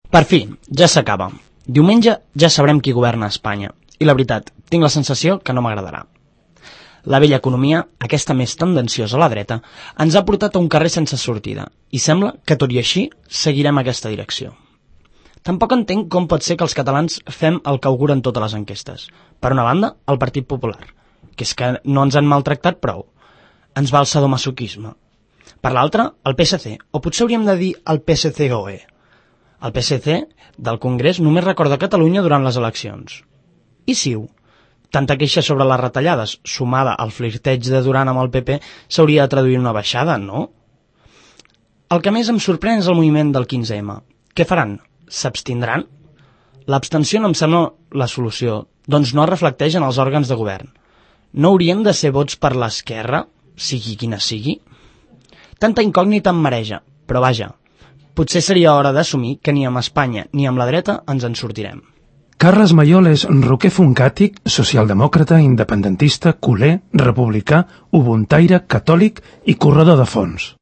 Per fi, ja s'acaba. Diumenge ja sabrem qui governa Espanya. I la veritat, tinc la sensació que no m'agradarà. La vella economia, aquesta més tendenciosa a la dreta, ens ha portat a un carrer sense sortida i sembla que tot i així seguirem aquesta direcció. Tampoc entenc com pot ser que els catalans fem el que auguren totes les enquestes. Per una banda, el Partit Popular, que és que no ens han maltractat prou. Ens va el sadomasoquisme. Per l'altra, el PSC, o potser hauríem de dir el PSCOE. El PSC del Congrés només recorda Catalunya durant les eleccions. I Ciu? Tanta queixa sobre les retallades, sumada al flirteig de Duran amb el PP, s'hauria de traduir en una baixada, no? El que més em sorprèn és el moviment del 15M. Què faran? S'abstindran? L'abstenció no em sembla la solució, doncs no es reflecteix en els òrgans de govern. No haurien de ser vots per l'esquerra, sigui quina sigui? Tanta incògnita em mareja, però vaja, potser seria hora d'assumir que ni amb Espanya ni amb la dreta ens en sortirem. Carles Mayol és roquer funkàtic, socialdemòcrata, independentista, culer, republicà, ubuntaire, catòlic i corredor de fons.